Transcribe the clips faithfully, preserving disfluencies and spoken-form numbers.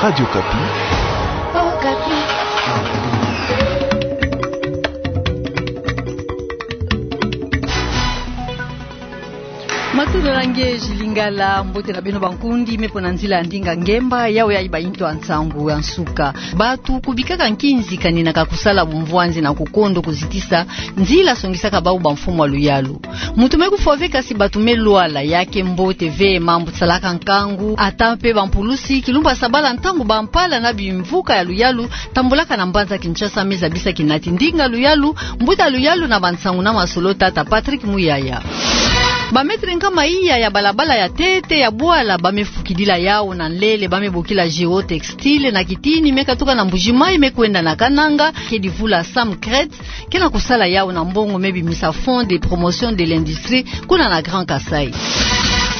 Radio Okapi. Matondo na nge Jules Lingala, mbote na beno bankundi me mpo na nzila ya ndinga ngemba, yawe yayi ba yintu ya nsangu ya nsuka. Bato kubikaka nkinzi kaninaka kusala bumvwanzi na kukondo kuzitisa nzila songisaka bawu bamfumu ya luyalu. Muntu me kufwa ve kasi bato me lwala, ya ke mbote ve mambu salaka nkangu, ata mpe bampulusi, kilumbu ya sabala ntango bampala na bimvuka ya luyalu tambulaka na mbanza Kinshasa me zabisa kinati ndinga luyalu, mbuta luyalu na bansangu na masolo tata Patrick Muyaya. Ba mètre nkama iya ya balabala ya ntete ya bwala ba me fukidila yawu na nlele ba me bokila Géotextile na kitini me katuka na Mbuji-Mayi me kwenda na Kananga, ke divula Sam Crête, ke na kusala yawu na mbongo me bimisa Fonds de promotion de l'industrie kuna na Grand Kasaï.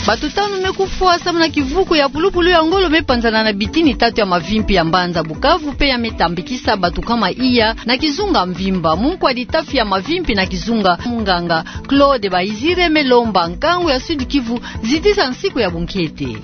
Bato tanu me kufwa samu na kivuku ya pulupulu ya ngolo me panzana na bitini tatu ya mavimpi ya mbanza Bukavu, mpe ya me tambikisa bato nkama iya na kizunga mvimba. Munkwa litafi ya mavimpi na kizunga, munganga Claude Bayizire, me lomba nkangu ya Sud-Kivu zitisa nsiku ya bunkete.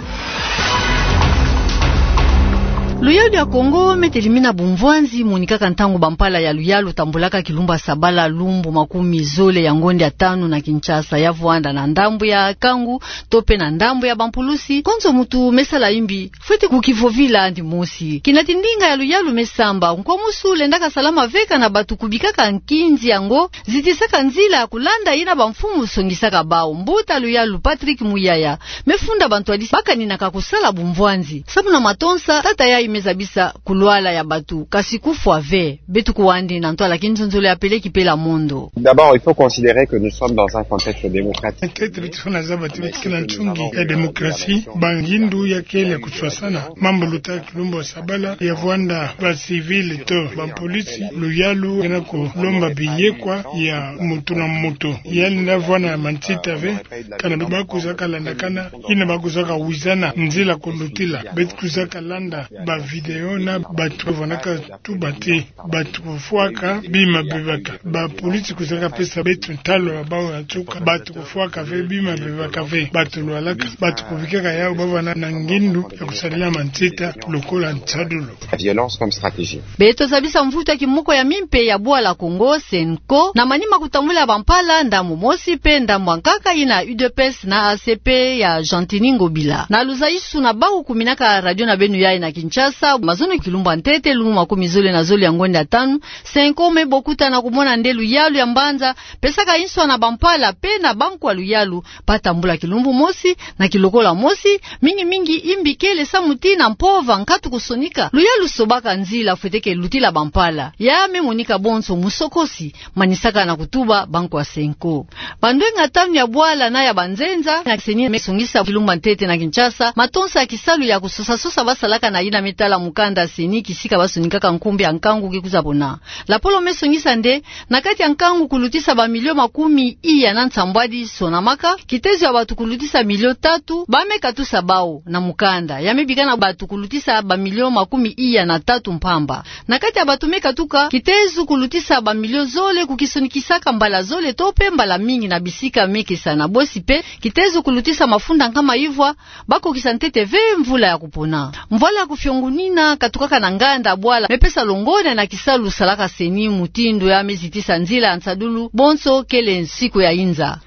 Luyalu ya Kongo me telimina bumvwanzi, monikaka ntango bampala ya luyalu tambulaka kilumbu ya sabala lumbu makumi zole ya ngonde ya tanu na Kinshasa, ya vwanda na ndambu ya nkangu to mpe na ndambu ya bampulusi. Konso muntu me sala yimbi fwete kukivovila yandi mosi. Kinati ndinga ya luyalu me samba, nkwa musu lendaka salama ve kana bato kubikaka nkinzi yango zitisaka nzila ya kulanda yina bamfumu songisaka bawu. Mbuta luyalu Patrick Muyaya me funda bantwadisi ba kaninaka kusala bumvwanzi samu na matonsa, tata yayi me zabisa kulwala ya bato, kasi kufwa ve. Beto kuwa yandi na ntwala kinzonzolo ya peleki pela mondo. D'abord, il faut considérer que nous sommes dans un contexte démocratique. Ntete beto fwana zaba ti beto ke na nsungi ya démocratie, bangindu ya kele ya kuswasana. Mambu luta kilumbu ya sabala ya vwanda ba civil to bampolisi, luyalu ke na kulomba biyekwa ya muntu na muntu. Yandi na vwanda ya mansita ve, kana ba kwiza kalandakana, yina ba kwiza kawizana nzila kulutila. Beto kwiza kalanda ba vidéo na bato vwanaka tuba ti bato kufwaka bima bebaka. Bapolisi kwiza kapesa beto ntalo ya bawu ya nsuka, bato kufwaka ve, bima bebaka ve, bato lwalaka, bato kubikaka yawu ba vwanda na ngindu ya kusadila mansita lokola nsadulu. La violence comme stratégie. Beto zabisa mvutu ya kimoko ya mimpe ya bwala Kongo, CENCO, na manima kutambula bampala, ndambu mosi mpe ndambu ya nkaka yina U D P S na A C P ya Gentiny Ngobila. Na luzayisuna bawu kuminaka radio na beno yayi na Kinshasa, mazono kilumbu ya ntete, lumbu makumi zole na zole ya ngonde ya tanu, CENCO me bokuta na kumona nde luyalu ya mbanza pesaka nswa na bampala mpe na bankwa luyalu ba tambula kilumbu mosi na kilokola mosi, mingi mingi yimbi kele samu ti na mpova nkatu kusonika, luyalu sobaka nzila fwete ke lutila bampala. Ya me monika bonso musokosi, manisaka na kutuba bankwa CENCO. Bandwenga tanu ya bwala na ya banzenza na CENI me songisa kilumbu ya ntete na Kinshasa matonsa ya kisalu ya kusosa-sosa ba salaka na yina me tala mukanda CENI, kisika ba sonikaka nkumbu ya nkangu ke kwiza pona. Lapolo me songisa nde, na kati ya nkangu kulutisa ba milio makumi iya na nsambwadi sonamaka, kitezo ya bato kulutisa milio tatu ba me katusa bawu na mukanda. Ya me bika na bato kulutisa ba milio makumi iya na tatu mpamba. Na kati ya bato me katuka, kitezo kulutisa ba milio zole kukisonikisaka mbala zole to mpe mbala mingi na bisika me kesa na bosi mpe, kitezo kulutisa mafunda nkama ivwa, ba kokisa ntete ve mvula ya kupona. Mvwala ya kufiongunina katukaka na nganda bwala me pesa longonya na kisalu salaka CENI, mutindu ya me zitisa nzila ya nsadulu, bonso kele nsiku ya inza.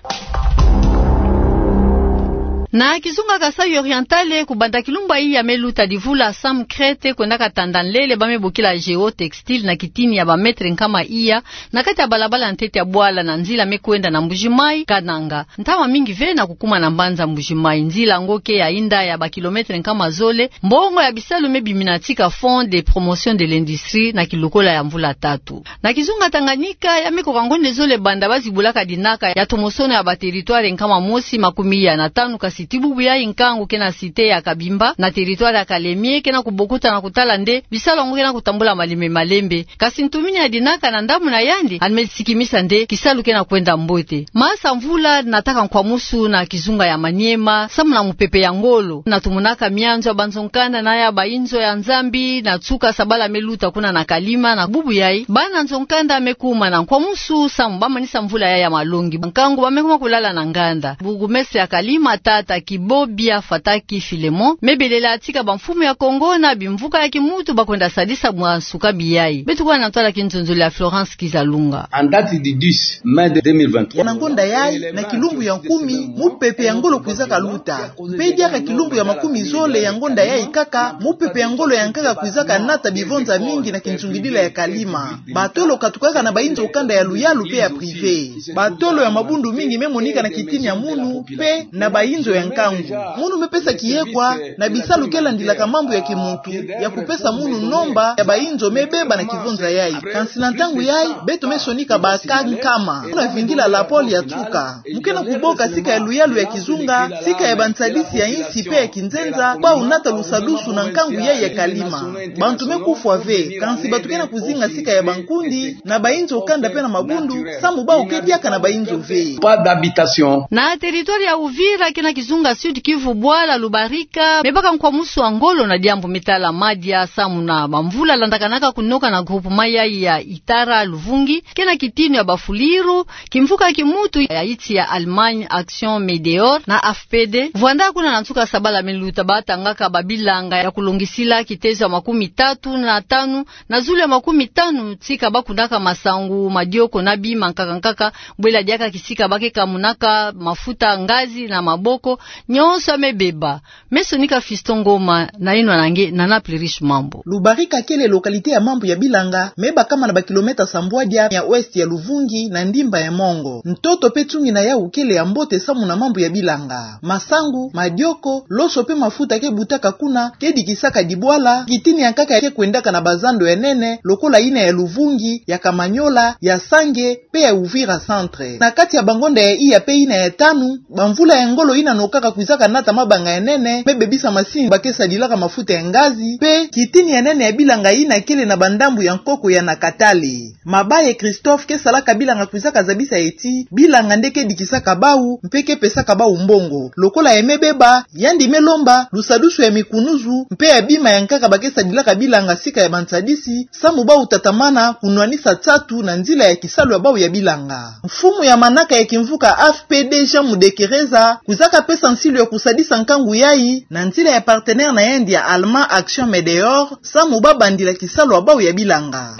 Na kizunga Kasaï Oriental, kubanda kilumbu ya iya me luta divula Sam Crête kwenda katanda nlele ba me bokila Géotextile na kitini ya ba mètre nkama iya, na kati ya balabala ya ntete ya bwala na nzila me kwenda na Mbuji-Mayi, Kananga. Ntama mingi ve na kukuma na mbanza Mbuji-Mayi. Nzila yango ke ya inda ya ba kilomètre nkama zole, mbongo ya bisalu me biminatika Fonds de promotion de l'industrie na kilokola ya mvula tatu. Na kizunga Tanganyika, ya me koka ngonde zole banda ba zibulaka dinaka ya tomosono ya ba territoire nkama mosi makumi iya na tanu, kasi ti bubu yayi nkangu ke na cité ya Kabimba, na territoire ya Kalemie, ke na kubokuta na kutala nde bisalu yango ke na kutambula malembe malembe. Kasi ntumini ya dinaka na ndambu na yandi, yandi me sikimisa nde kisalu ke na kwenda mbote. Masa mvula nataka nkwamusu na kizunga ya Maniema, samu na mupepe ya ngolo. Na tumonaka mianzo ya banzo-nkanda na ya bainzo ya Nzambi, na nsuka sabala me luta kuna na Kalima, na bubu yayi bana nzo-nkanda me kuma na nkwamusu, samu ba manisa mvula yayi ya malongi. Nkangu ba me kuma kulala na nganda. Bourgmestre ya Kalima, tata Kibobia Fataki Philemon, me belela tika bamfumu ya Kongo na bimvuka ya kimuntu bakwenda sadisa bwa nsuka biai. Beto kuwa na ntwala kinzonzolo ya Florence Kizalunga. En date du dix mai deux mille vingt-trois. Na ngonda yai, na kilumbu ya kumi, mupepe ya ngolo kwizaka luta. Mpe diaka kilumbu ya makumi zole ya ngonda yai kaka, mupepe ya ngolo ya nkaka kwizaka nata bivonza mingi na kinsungidila ya kalima. Batolo katukaka na bainzo kanda ya luyalu mpe ya privé. Batolo ya mabundu mingi me monika na kitini ya munu, mpe na bainzo ya nkangu. Munu me pesa kiekwa na bisalu ke landilaka mambu ya kimuntu, ya kupesa munu nomba ya bainzo me beba na kivonza yai. Kansi na ntangu yai, beto me sonika ba cas nkama. Munu avingila la pôle ya tuka. Mu ke na kuboka sika ya luyalu ya kizunga, sika ya bansadisi ya insi mpe ya kinzenza, bau nata lusadusu na nkangu yai ya kalima. Bantu me kufwa ve, kansi bato ke na kuzinga sika ya bankundi, na bainzo kanda mpe na mabundu, samu bau ke diaka na bainzo ve. Pas d'habitation. Na territoire ya Uvira, ke na kizunga Sud-Kivu, bwala Lubarika me baka nkwamusu wa ngolo na diambu me tala madia, samu na bamvula landakanaka kunoka na groupement yai ya Itara Luvungi, ke na kitinu ya Bafuliru, kimvuka kimuntu ya insi ya Allemagne Action Medeor na A F P D, vwanda kuna na nsuka sabala me luta batangaka babilanga ya kulongisila kitezo ya makumi tatu na tanu na zulu ya makumi tanu, tika bakunaka masangu, madioko na bima nkaka nkaka, bwela diaka kisika ba ke kamunaka mafuta ngazi na maboko, nyonso me beba. Me sonika Fiston Ngoma na inwa na nge na Naples Riche Mambu. Lubarika kele localité ya mambu ya bilanga, me bakama na ba kilomètre sambwadia ya ouest ya Luvungi na ndimba ya Mongo. Ntoto mpe tungina yau kele ya mbote samu na mambu ya bilanga. Masangu, madioko, loso mpe mafuta ke butaka kuna, ke dikisaka dibwala, kitini ya nkaka ke kwendaka na bazando ya nene, lokola yina ya Luvungi, ya Kamanyola, ya Sange, mpe ya Uvira Centre. Na kati ya bangonda ya iya mpe yina ya tanu, bamvula ya ngolo yina nokaka kwizaka nata mabanga ya nene, me bebisa masini ba ke sadilaka mafuta ya ngazi, mpe kitini ya nene ya bilanga yina kele na bandambu ya nkoko ya Nakatale. Mabaye Christophe ke salaka bilanga kwizaka zabisa ye ti, bilanga nde ke dikisaka bau, mpe ke pesaka bau mbongo. Lokola ya me beba, yandi me lomba lusadusu ya mikunuzu, mpe ya bima ya nkaka ba ke sadilaka bilanga sika ya bansadisi, samu bau tatamana kunwanisa nsatu na nzila ya kisalu ya bau ya bilanga. Mfumu ya manaka ya kimvuka A F P D Jean Mudekereza, kwizaka pesa nsilu ya kusadisa nkangu yai, na nzila ya partenaire na yandi ya Allemand Action Medeor, samu ba bandila kisalu ya bau ya bilanga.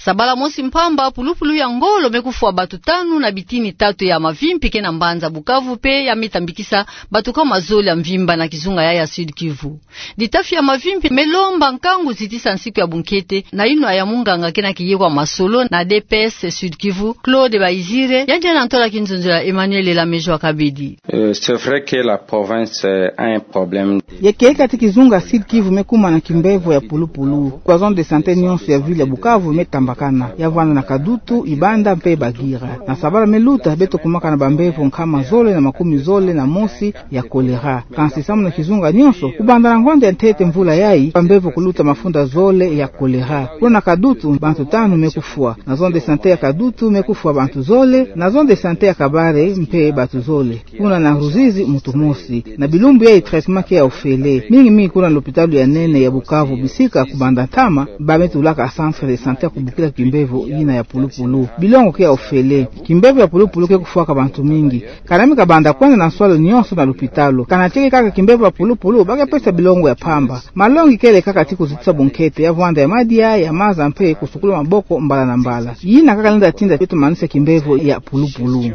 Sabala mosi mpamba, pulupulu ya ngolo me kufwa bato tanu na bitini tatu ya mavimpi ke na mbanza Bukavu mpe ya me tambikisa bato kama zole ya mvimba na kizunga yai ya Sud-Kivu. Ditafi ya mavimpi me lomba nkangu zitisa nsiku ya bunkete, na inwa ya munganga ke na kiye kwa masolo na D P S Sud-Kivu, Claude Bayizire, yandi na ntola kinzonzolo ya Emmanuel Elamejo Akabedi. Euh, c'est vrai que la province, euh, a un problème. Ya kieleka ti kizunga Sud-Kivu me kuma na kimbevo ya pulupulu. Kwa zone de santé nyonso ya ville ya Bukavu me tambakana. Ya vwanda na Kadutu, Ibanda mpe Bagira. Na sabala me luta, beto kumaka na bambevo nkama zole na makumi zole na mosi ya choléra. Kansi samu na kizunga nyonso, kubanda na ngonda ya ntete mvula yai, bambevo kuluta mafunda zole ya choléra. Kuna na Kadutu, bantu tanu me kufwa. Na zone de santé ya Kadutu me kufwa bantu zole, na zone de santé ya Kabare mpe bantu zole. Kuna na Ruzizi muntu mosi. Na bilumbu yai traitement ke ya ofele. Mingi mingi kuna na lopitalo ya nene ya Bukavu bisika kubanda ntama, ba me tulaka centre de santé ya kubokila kimbevo yina ya pulupulu. Bilongo ke ya ofele. Kimbevo ya pulupulu ke kufwaka bantu mingi. Kana mi kabanda kwenda na nswalu nyonso na lopitalo. Kana tieke kaka kimbevo ya pulupulu, ba ke pesa bilongo ya mpamba. Malongi kele kaka ti kuzitisa bunkete, ya vwanda ya madia, ya maza mpe kusukula maboko mbala na mbala. Yina kaka lenda tinda beto manisa kimbevo ya pulupulu.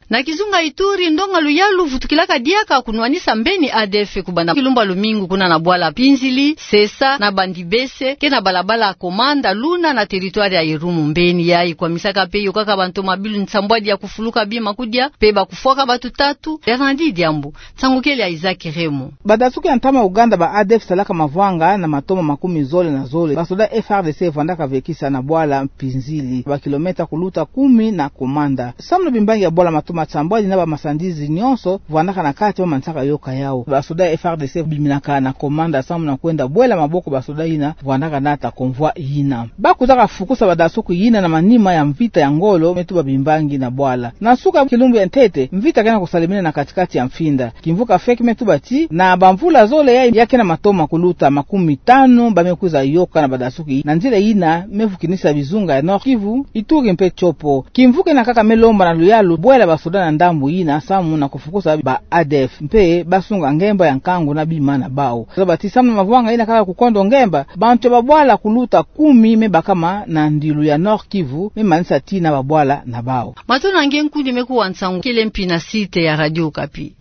Na kizunga Ituri, ndonga luyalu vutukilaka diaka kunwanisa mbeni A D F kubanda kilumba lumingu kuna na bwala Pinzili, Sesa na Bandibese, ke na balabala Komanda Luna na territoire ya Irumu. Mbeni yai kwamisaka mpe yokaka bantu mabilu nsambwadi ya kufuluka bima kudia, mpe ba kufwaka bantu tatu, Bernardi Diambu. Nsangu kele ya Isaac Remo. Banda suku ya ntama Uganda, ba A D F salaka mavwanga na matoma makumi zole na zole. Basoda F R D C vwandaka vekisa na bwala Pinzili, ba kilomètre kuluta kumi na Komanda. Samu na bimbangi ya bwala matoma nsambwadi na bamasandizi nyonso vwandaka na kati, ba manisaka yoka yau. Basoda F R D C biminaka na Komanda samu na kwenda bwela maboko basoda yina vwandaka nata convoi yina. Ba kutaka fukusa badasuku yina na manima ya mvita ya ngolo me tuba bimbangi na bwala. Na suka kilumbu ya ntete, mvita ke na kusalemena na kati-kati ya mfinda. Kimvuka FEC me tuba ti na bamvula zole ya, ya ke na matoma kuluta makumi tanu ba me kwiza yoka na badasuku na nzila yina me vukinisa bizunga ya Nord-Kivu, Ituri mpe Tshopo. Kimvuka ina kaka me lomba na luyalu bwela basoda na ndambu yina samu na kufukusa ba ADF mpe basunga ngemba ya nkangu na bima na bau. Zaba ti samu na mavwanga ina kaka kukondo ngemba, bantu ya babwala kuluta kumi me bakama na ndilu ya Nord-Kivu, me manisa ti na babwala na bau. Matondo na nge nkundi me kuwa nsangu kele mpi na site ya Radio Okapi.